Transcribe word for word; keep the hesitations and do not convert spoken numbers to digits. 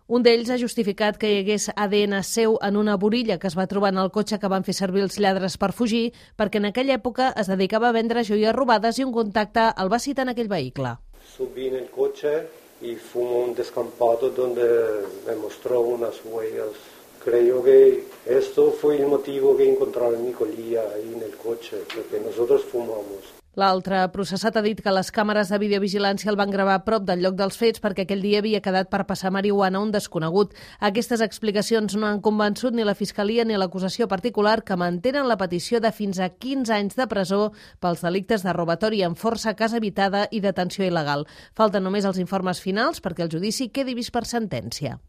Un d'ells ha justificat que hi hagués A D N seu en una borilla que es va trobar en el cotxe que van fer servir els lladres per fugir, perquè en aquella època es dedicava a vendre joies robades i un contacte el va citar en aquell vehicle. Subí en el coche y fuimos a un descampado donde me mostró unas huellas. Creo que esto fue el motivo que encontraron mi colilla ahí en el coche, porque nosotros fumamos. L'altre processat ha dit que les càmeres de videovigilància el van gravar a prop del lloc dels fets perquè aquell dia havia quedat per passar marihuana a un desconegut. Aquestes explicacions no han convençut ni la Fiscalia ni l'acusació particular, que mantenen la petició de fins a quinze anys de presó pels delictes de robatori amb força, casa habitada i detenció il·legal. Falten només els informes finals perquè el judici quedi vist per sentència.